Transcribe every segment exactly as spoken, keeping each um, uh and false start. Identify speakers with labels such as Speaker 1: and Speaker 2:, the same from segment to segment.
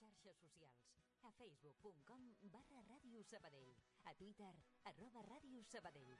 Speaker 1: xarxes socials. A facebook punt com barra Ràdio Sabadell. A Twitter, arroba Ràdio Sabadell.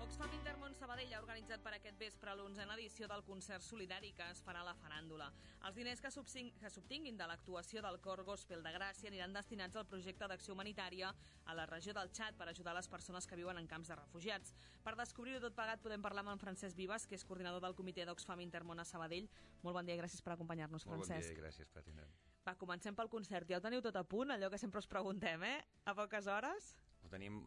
Speaker 2: Oxfam Intermón Sabadell ha organitzat per aquest vespre l'onzena edició del concert solidari que es farà a la Faràndula. Els diners que s'obtinguin de l'actuació del Cor Gospel de Gràcia aniran destinats al projecte d'acció humanitària a la regió del Txad per ajudar les persones que viuen en camps de refugiats. Per descobrir-ho tot plegat podem parlar amb en Francesc Vives, que és coordinador del comitè d'Oxfam Intermón a Sabadell. Molt bon dia i gràcies per acompanyar-nos, Francesc.
Speaker 3: Molt bon dia i gràcies per atendre'm.
Speaker 2: Va, comencem pel concert. Ja ho teniu tot a punt, allò que sempre us preguntem, eh? A poques hores?
Speaker 3: Ho tenim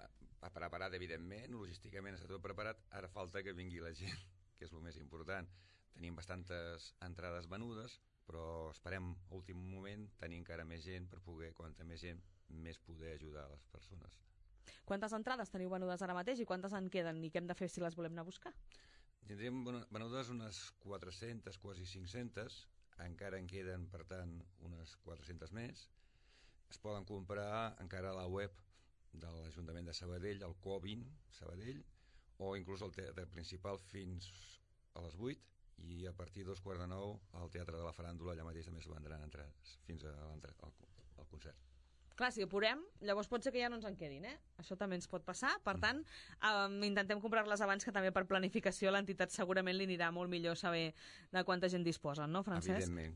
Speaker 3: preparat, evidentment, logísticament està tot preparat, ara falta que vingui la gent, que és el més important. Tenim bastantes entrades venudes, però esperem a últim moment tenir encara més gent per poder, quanta més gent, més poder ajudar a les persones.
Speaker 2: Quantes entrades teniu venudes ara mateix i quantes en queden i què hem de fer si les volem anar a buscar?
Speaker 3: Tindríem venudes unes quatre-centes, quasi cinc-centes, encara en queden, per tant, unes quatre-centes més. Es poden comprar encara a la web de l'Ajuntament de Sabadell, el Covin Sabadell, o inclús al teatre principal fins a les vuit, i a partir de dos quarts de nou al Teatre de la Faràndula allà mateix també es vendran entrades fins al, al concert.
Speaker 2: Clar, si apurem, llavors pot ser que ja no ens en quedin, eh? Això també ens pot passar, per tant, um, intentem comprar-les abans, que també per planificació a l'entitat segurament li anirà molt millor saber de quanta gent disposen, no, Francesc?
Speaker 3: Evidentment.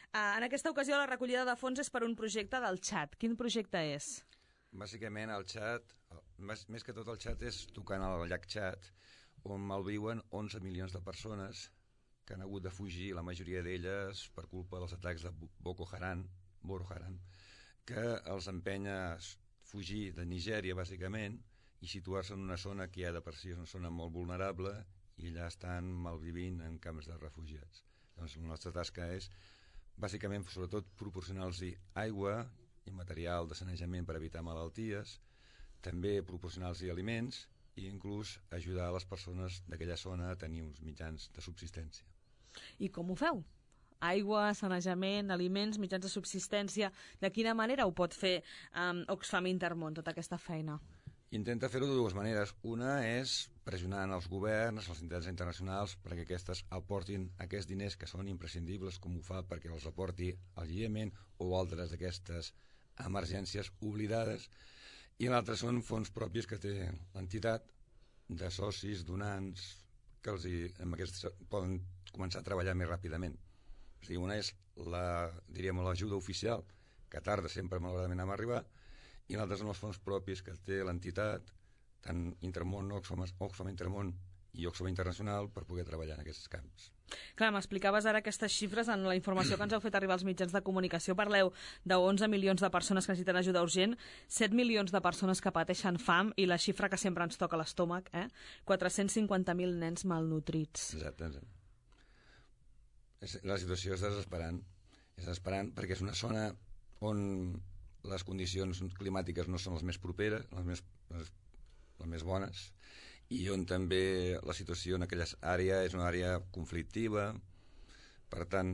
Speaker 2: Uh, en aquesta ocasió la recollida de fons és per un projecte del Txad. Quin projecte és?
Speaker 3: Bàsicament el Txad, més, més que tot el Txad és tocant al llac Txad, on malviuen onze milions de persones que han hagut de fugir, la majoria d'elles per culpa dels atacs de Boko Haram, Boko Haram, que els empenya a fugir de Nigèria, bàsicament, i situar-se en una zona que ja de per si és una zona molt vulnerable i allà estan malvivint en camps de refugiats. Doncs la nostra tasca és, bàsicament, sobretot, proporcionar-los aigua i material de sanejament per evitar malalties, també proporcionar-los aliments i inclús ajudar a les persones d'aquella zona a tenir uns mitjans de subsistència.
Speaker 2: I com ho feu? Aigua, sanejament, aliments, mitjans de subsistència... De quina manera ho pot fer um, Oxfam Intermón, tota aquesta feina?
Speaker 3: Intenta fer-ho de dues maneres. Una és pressionant els governs, les entitats internacionals, perquè aquestes aportin aquests diners que són imprescindibles, com ho fa perquè els aporti el Iemen o altres d'aquestes emergències oblidades, i l'altre són fons propis que té l'entitat, de socis, donants, que els hi, amb aquests poden començar a treballar més ràpidament. O sigui, una és la, diríem, l'ajuda oficial, que tarda sempre malauradament a arribar, i l'altre són els fons propis que té l'entitat, tant Intermón, Oxfam, Oxfam Intermón i Oxfam Internacional, per poder treballar en aquests camps.
Speaker 2: Clar, m'explicaves ara aquestes xifres en la informació que ens heu fet arribar als mitjans de comunicació. Parleu d'onze milions de persones que necessiten ajuda urgent, set milions de persones que pateixen fam i la xifra que sempre ens toca a l'estómac, eh? quatre-cents cinquanta mil nens malnutrits.
Speaker 3: Exacte. La situació és desesperant. És desesperant perquè és una zona on les condicions climàtiques no són les més properes, les més, les, les més bones, i on també la situació en aquella àrea és una àrea conflictiva. Per tant,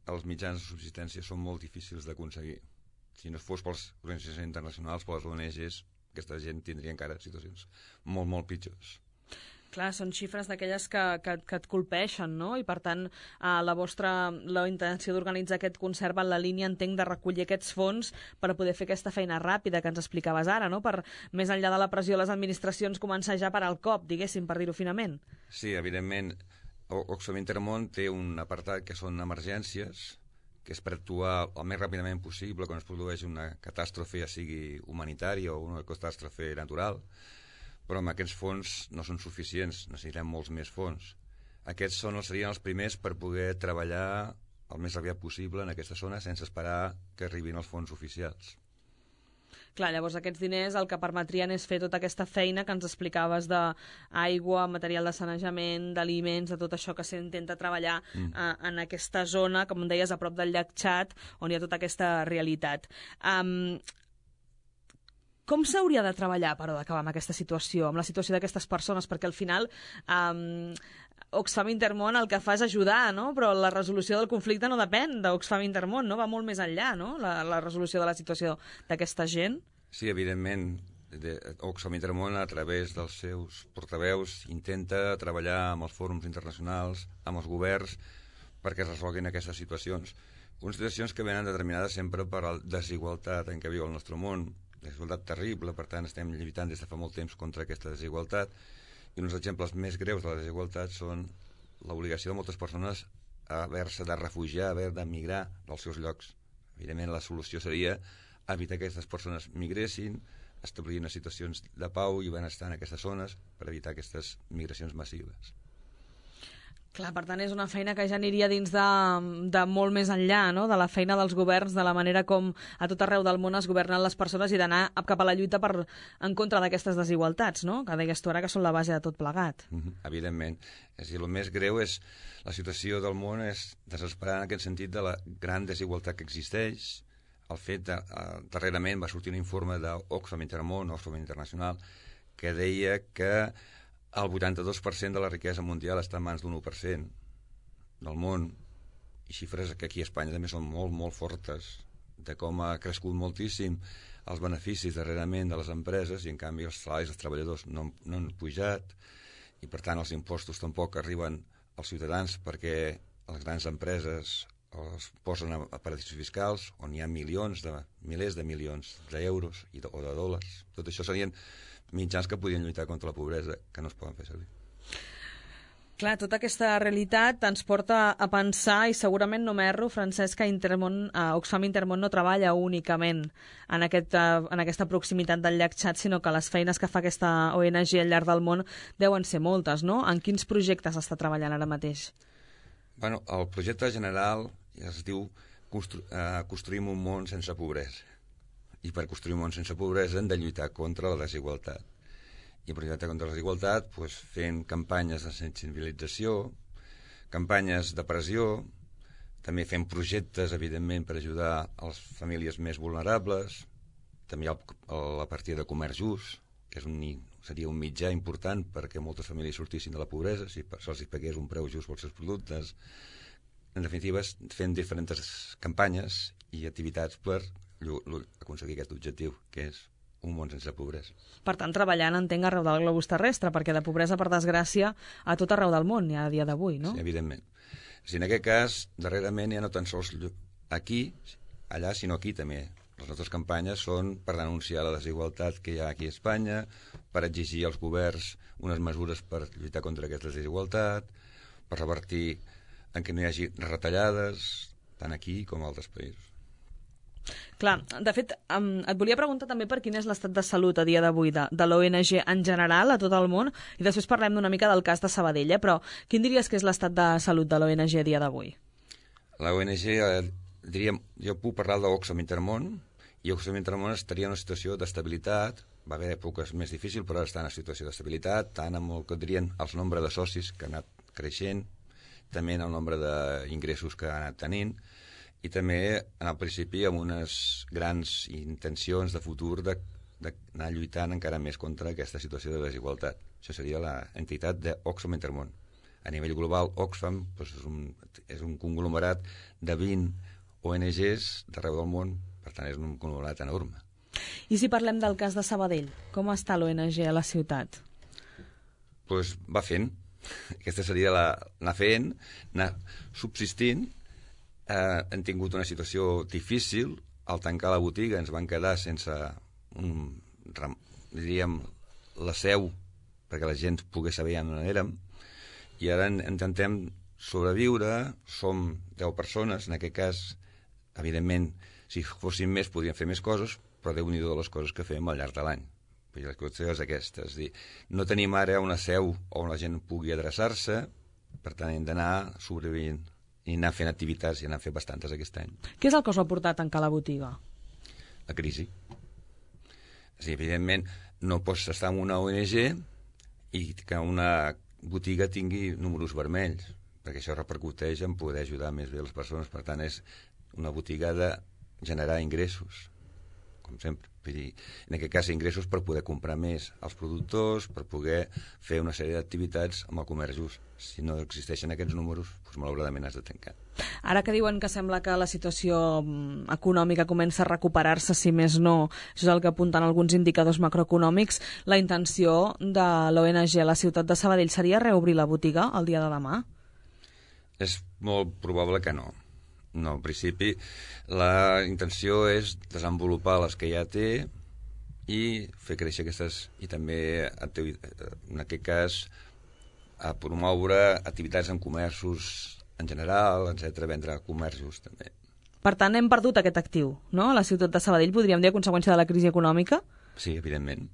Speaker 3: els mitjans de subsistència són molt difícils d'aconseguir. Si no fos pels organitzacions internacionals, per les O N Ges, aquesta gent tindria encara situacions molt, molt pitjors.
Speaker 2: Clar, són xifres d'aquelles que, que, que et colpeixen, no? I per tant, eh, la vostra la intenció d'organitzar aquest concert va en la línia, entenc, de recollir aquests fons per poder fer aquesta feina ràpida que ens explicaves ara, no? Per, més enllà de la pressió de les administracions, començar ja per al cop, diguéssim, per dir-ho finament.
Speaker 3: Sí, evidentment, Oxfam Intermón té un apartat que són emergències, que és per actuar el més ràpidament possible quan es produeix una catàstrofe, ja sigui humanitària o una catàstrofe natural, però amb aquests fons no són suficients, necessitem molts més fons. Aquests són, serien els primers per poder treballar el més aviat possible en aquesta zona sense esperar que arribin els fons oficials.
Speaker 2: Clar, llavors aquests diners el que permetrien és fer tota aquesta feina que ens explicaves d'aigua, material de sanejament, d'aliments, de tot això que s'intenta treballar mm. eh, en aquesta zona, com deies, a prop del llac Txad, on hi ha tota aquesta realitat. Um, Com s'hauria de treballar, però, d'acabar amb aquesta situació, amb la situació d'aquestes persones? Perquè al final um, Oxfam Intermón el que fa és ajudar, no? Però la resolució del conflicte no depèn d'Oxfam Intermón, no? Va molt més enllà, no? La, la resolució de la situació d'aquesta gent.
Speaker 3: Sí, evidentment. Oxfam Intermón, a través dels seus portaveus, intenta treballar amb els fòrums internacionals, amb els governs, perquè es resolguin aquestes situacions. Unes situacions que venen determinades sempre per la desigualtat en què viu el nostre món, desigualtat terrible, per tant estem lluitant des de fa molt temps contra aquesta desigualtat, i uns exemples més greus de la desigualtat són l'obligació de moltes persones a haver-se de refugiar, haver de migrar dels seus llocs. Evidentment, la solució seria evitar que aquestes persones migressin, establir unes situacions de pau i benestar en aquestes zones per evitar aquestes migracions massives.
Speaker 2: Clar, per tant, és una feina que ja aniria dins de, de molt més enllà, no?, de la feina dels governs, de la manera com a tot arreu del món es governen les persones i d'anar cap a la lluita per, en contra d'aquestes desigualtats, no?, que deies tu ara que són la base de tot plegat.
Speaker 3: Mm-hmm, evidentment. És a dir, el més greu és la situació del món és desesperant en aquest sentit de la gran desigualtat que existeix. El fet de, uh, darrerament va sortir un informe d'Oxfam Intermón, Oxfam Internacional, que deia que el vuitanta-dos per cent de la riquesa mundial està en mans d'un u per cent del món, i xifres que aquí a Espanya també són molt, molt fortes, de com ha crescut moltíssim els beneficis darrerament de les empreses i en canvi els salaris dels treballadors no, no han pujat, i per tant els impostos tampoc arriben als ciutadans perquè les grans empreses els posen a, a paradisos fiscals on hi ha milions de, milers de milions d'euros i de, o de dòlars. Tot això serien mitjans que podien lluitar contra la pobresa, que no es poden fer servir.
Speaker 2: Clar, tota aquesta realitat ens porta a pensar, i segurament no m'erro, Francesc, que Intermón, eh, Oxfam Intermón no treballa únicament en, aquest, eh, en aquesta proximitat del llac Txad, sinó que les feines que fa aquesta O N G al llarg del món deuen ser moltes, no? En quins projectes està treballant ara mateix?
Speaker 3: Bueno, el projecte general es diu Constru eh, Construïm un món sense pobresa. I per construir un món sense pobresa hem de lluitar contra la desigualtat. I per lluitar contra la desigualtat, doncs, fent campanyes de sensibilització, campanyes de pressió, també fent projectes, evidentment, per ajudar a les famílies més vulnerables, també el, la partida de comerç just, que és un, seria un mitjà important perquè moltes famílies sortissin de la pobresa, si se'ls pagués un preu just pels seus productes. En definitiva, fent diferents campanyes i activitats per aconseguir aquest objectiu, que és un món sense pobresa.
Speaker 2: Per tant, treballant, entenc, arreu del globus terrestre, perquè de pobresa, per desgràcia, a tot arreu del món hi ha a dia d'avui, no?
Speaker 3: Sí, evidentment. Si en aquest cas, darrerament, ja no tan sols aquí, allà, sinó aquí també. Les nostres campanyes són per denunciar la desigualtat que hi ha aquí a Espanya, per exigir als governs unes mesures per lluitar contra aquesta desigualtat, per revertir en què no hi hagi retallades, tant aquí com a altres països.
Speaker 2: Clar, de fet, um, et volia preguntar també per quin és l'estat de salut a dia d'avui de, de l'O N G en general a tot el món, i després parlem d'una mica del cas de Sabadell, eh? Però quin diries que és l'estat de salut de l'O N G a dia d'avui?
Speaker 3: L'O N G, eh, diríem, jo puc parlar d'Oxfam Intermón, i Oxfam Intermón estaria en una situació d'estabilitat, va haver èpoques més difícils, però ara està en una situació d'estabilitat, tant amb el que dirien els nombre de socis que ha anat creixent, també en el nombre d'ingressos que ha anat tenint, i també en el principi amb unes grans intencions de futur d'anar lluitant encara més contra aquesta situació de desigualtat. Això seria l'entitat d'Oxfam Intermón. A nivell global, Oxfam doncs, és, un, és un conglomerat de vint O N Ges d'arreu del món, per tant és un conglomerat enorme.
Speaker 2: I si parlem del cas de Sabadell, com està l'O N G a la ciutat?
Speaker 3: Doncs va fent. Aquesta seria la, anar fent, anar subsistint. Eh, hem tingut una situació difícil. Al tancar la botiga ens van quedar sense un, diríem, la seu perquè la gent pogués saber on érem, i ara intentem sobreviure. Som deu persones, en aquest cas, evidentment, si fossin més podríem fer més coses, però Déu-n'hi-do de les coses que fem al llarg de l'any. La qüestió és aquesta, és dir, no tenim ara una seu on la gent pugui adreçar-se, per tant hem d'anar sobrevivint i anar fent activitats, i anar fent bastantes aquest any.
Speaker 2: Què és el que us ha portat a tancar la botiga?
Speaker 3: La crisi. És dir, evidentment, no pots estar en una O N G i que una botiga tingui números vermells, perquè això repercuteix en poder ajudar més bé les persones. Per tant, és una botiga de generar ingressos, com sempre. Vull dir, en aquest cas, ingressos per poder comprar més als productors, per poder fer una sèrie d'activitats amb el comerç just. Si no existeixen aquests números, doncs malauradament has de tancar.
Speaker 2: Ara que diuen que sembla que la situació econòmica comença a recuperar-se, si més no, això és el que apunten alguns indicadors macroeconòmics, la intenció de l'O N G a la ciutat de Sabadell seria reobrir la botiga el dia de demà?
Speaker 3: És molt probable que no. No, en principi la intenció és desenvolupar les que ja té i fer créixer aquestes, i també en aquest cas a promoure activitats en comerços en general, etcètera, vendre comerços també.
Speaker 2: Per tant, hem perdut aquest actiu, no? A la ciutat de Sabadell, podríem dir, a conseqüència de la crisi econòmica?
Speaker 3: Sí, evidentment.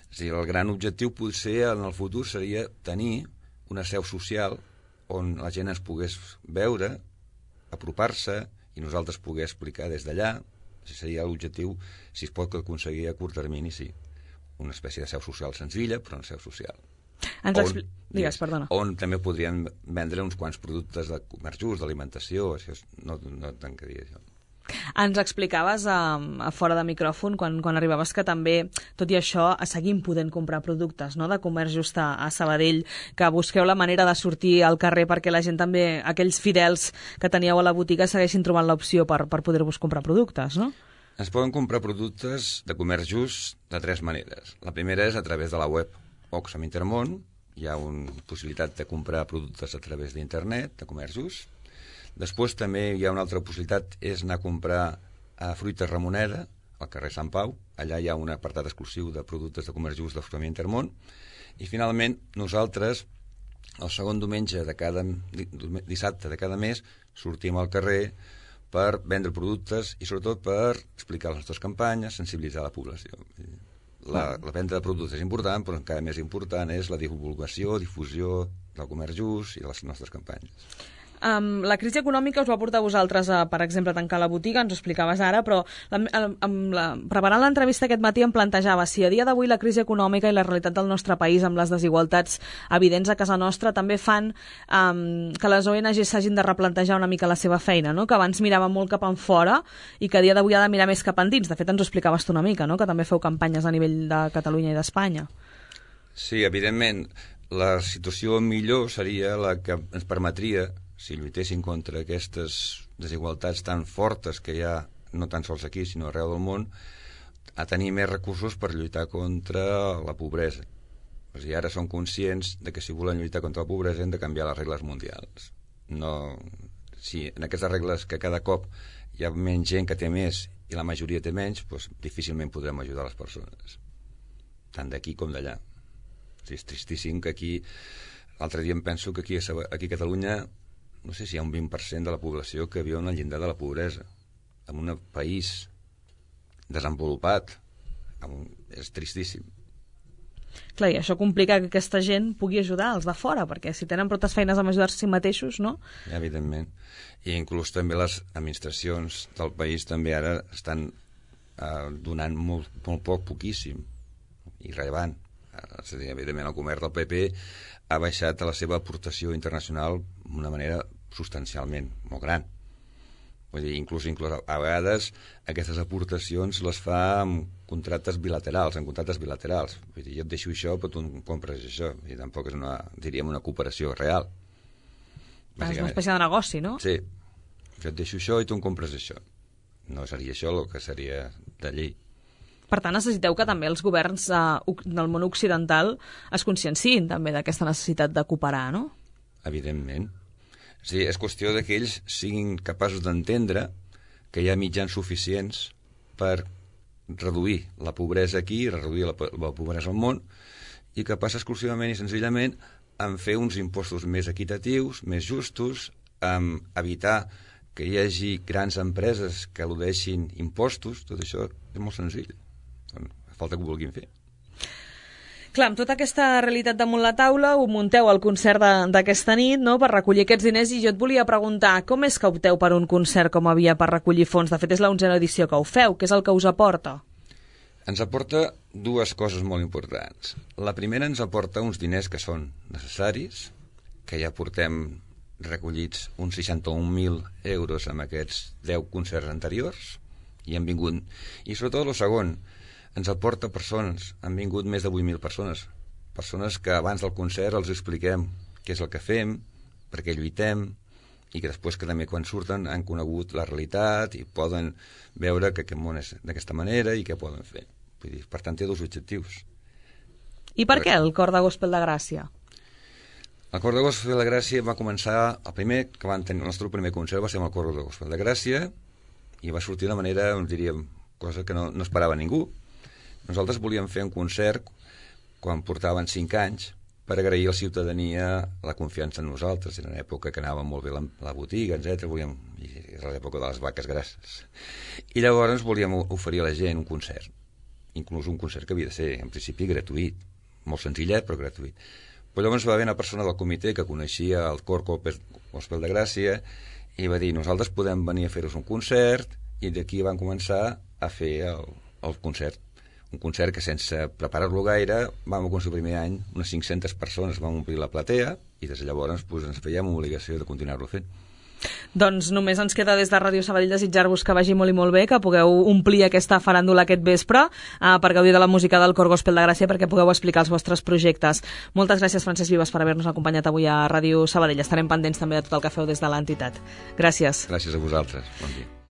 Speaker 3: És a dir, el gran objectiu potser en el futur seria tenir una seu social on la gent ens pogués veure, apropar-se, i nosaltres pogués explicar des d'allà. Seria l'objectiu, si es pot aconseguir a curt termini, sí. Una espècie de seu social senzilla, però una seu social.
Speaker 2: Ens on, digues, perdona.
Speaker 3: On també podrien vendre uns quants productes de comerç just, d'alimentació, això no, no tancaria això.
Speaker 2: Ens explicaves a, a fora de micròfon, quan, quan arribaves, que també, tot i això, seguim podent comprar productes, no?, de comerç just a, a Sabadell, que busqueu la manera de sortir al carrer perquè la gent també, aquells fidels que teníeu a la botiga, segueixin trobant l'opció per, per poder-vos comprar productes, no?
Speaker 3: Es poden comprar productes de comerç just de tres maneres. La primera és a través de la web Oxfam Intermón, hi ha una possibilitat de comprar productes a través d'internet, de comerç just. Després també hi ha una altra possibilitat, és anar a comprar a Fruites Ramoneda, al carrer Sant Pau. Allà hi ha un apartat exclusiu de productes de comerç just d'Oxfam Intermón. I finalment, nosaltres, el segon diumenge de cada dissabte de cada mes, sortim al carrer per vendre productes i sobretot per explicar les nostres campanyes, sensibilitzar la població. La, la venda de productes és important, però encara més important és la divulgació, difusió del comerç just i de les nostres campanyes.
Speaker 2: Um, la crisi econòmica us va portar a vosaltres a, per exemple, a tancar la botiga, ens ho explicaves ara, però la, amb la, preparant l'entrevista aquest matí em plantejava si a dia d'avui la crisi econòmica i la realitat del nostre país amb les desigualtats evidents a casa nostra també fan um, que les O N G s'hagin de replantejar una mica la seva feina, no? Que abans mirava molt cap en fora i que a dia d'avui ha de mirar més cap endins. De fet, ens ho explicaves tu una mica, no? Que també feu campanyes a nivell de Catalunya i d'Espanya.
Speaker 3: Sí, evidentment, la situació millor seria la que ens permetria, si lluitessin contra aquestes desigualtats tan fortes que hi ha, no tan sols aquí, sinó arreu del món, a tenir més recursos per lluitar contra la pobresa. O sigui, ara són conscients de que si volen lluitar contra la pobresa hem de canviar les regles mundials. No, si en aquestes regles que cada cop hi ha menys gent que té més i la majoria té menys, doncs difícilment podrem ajudar les persones, tant d'aquí com d'allà. O sigui, és tristíssim que aquí, l'altre dia em penso que aquí a, aquí a Catalunya no sé si hi ha un vint per cent de la població que viu en el llindar de la pobresa, en un país desenvolupat. És tristíssim.
Speaker 2: Clar, i això complica que aquesta gent pugui ajudar els de fora, perquè si tenen prou feines amb ajudar-se a si mateixos, no?
Speaker 3: Ja, evidentment. I inclús també les administracions del país també ara estan eh, donant molt, molt poc, poquíssim, irrellevant. És a dir, evidentment, el govern del P P ha baixat la seva aportació internacional d'una manera substancialment molt gran. Vull dir, inclús, inclús a vegades aquestes aportacions les fa amb contractes bilaterals, en contractes bilaterals. Vull dir, jo et deixo això, però tu em compres això. I tampoc és una, diríem, una cooperació real.
Speaker 2: És una espècie de negoci, no?
Speaker 3: Sí. Jo et deixo això i tu em compres això. No seria això el que seria de llei.
Speaker 2: Per tant, necessiteu que també els governs eh, del món occidental es conscienciïn també d'aquesta necessitat de cooperar, no?
Speaker 3: Evidentment. Sí, és qüestió de que ells siguin capaços d'entendre que hi ha mitjans suficients per reduir la pobresa aquí, reduir la, la pobresa al món, i que passa exclusivament i senzillament en fer uns impostos més equitatius, més justos, en evitar que hi hagi grans empreses que eludeixin impostos. Tot això és molt senzill. Falta que ho vulguin fer.
Speaker 2: Clar, amb tota aquesta realitat damunt la taula, ho munteu al concert d'aquesta nit, no?, per recollir aquests diners, i jo et volia preguntar, com és que opteu per un concert com havia per recollir fons? De fet, és l'onzena edició que ho feu. Què és el que us aporta?
Speaker 3: Ens aporta dues coses molt importants. La primera ens aporta uns diners que són necessaris, que ja portem recollits uns seixanta-un mil euros amb aquests deu concerts anteriors, i han vingut. I sobretot el segon, ens aporta persones, han vingut més de vuit mil persones, persones que abans del concert els expliquem què és el que fem, per què lluitem, i que després que també quan surten han conegut la realitat i poden veure que aquest món és d'aquesta manera i què poden fer. Vull dir, per tant, té dos objectius.
Speaker 2: I per què el Cor de Gospel de Gràcia?
Speaker 3: El Cor de Gospel de Gràcia va començar, el primer que van tenir, el nostre primer concert va ser amb el Cor de Gospel de Gràcia i va sortir de manera, diríem, cosa que no, no esperava ningú. Nosaltres volíem fer un concert quan portaven cinc anys per agrair a la ciutadania la confiança en nosaltres. Era una època que anava molt bé la, la botiga, etcètera. Volíem, era l'època de les vaques grasses. I llavors volíem oferir a la gent un concert, inclús un concert que havia de ser, en principi, gratuït. Molt senzillet, però gratuït. Però llavors va haver una persona del comitè que coneixia el Cor Gospel de Gràcia i va dir, nosaltres podem venir a fer-vos un concert, i d'aquí van començar a fer el, el concert. Un concert que sense preparar-lo gaire vam aconseguir el primer any unes cinc-centes persones, vam omplir la platea i des de llavors doncs, ens fèiem obligació de continuar-lo fent.
Speaker 2: Doncs només ens queda des de Ràdio Sabadell desitjar-vos que vagi molt i molt bé, que pugueu omplir aquesta faràndula aquest vespre eh, per gaudir de la música del Cor Gospel de Gràcia, perquè pugueu explicar els vostres projectes. Moltes gràcies, Francesc Vives, per haver-nos acompanyat avui a Ràdio Sabadell. Estarem pendents també de tot el que feu des de l'entitat. Gràcies.
Speaker 3: Gràcies a vosaltres. Bon dia.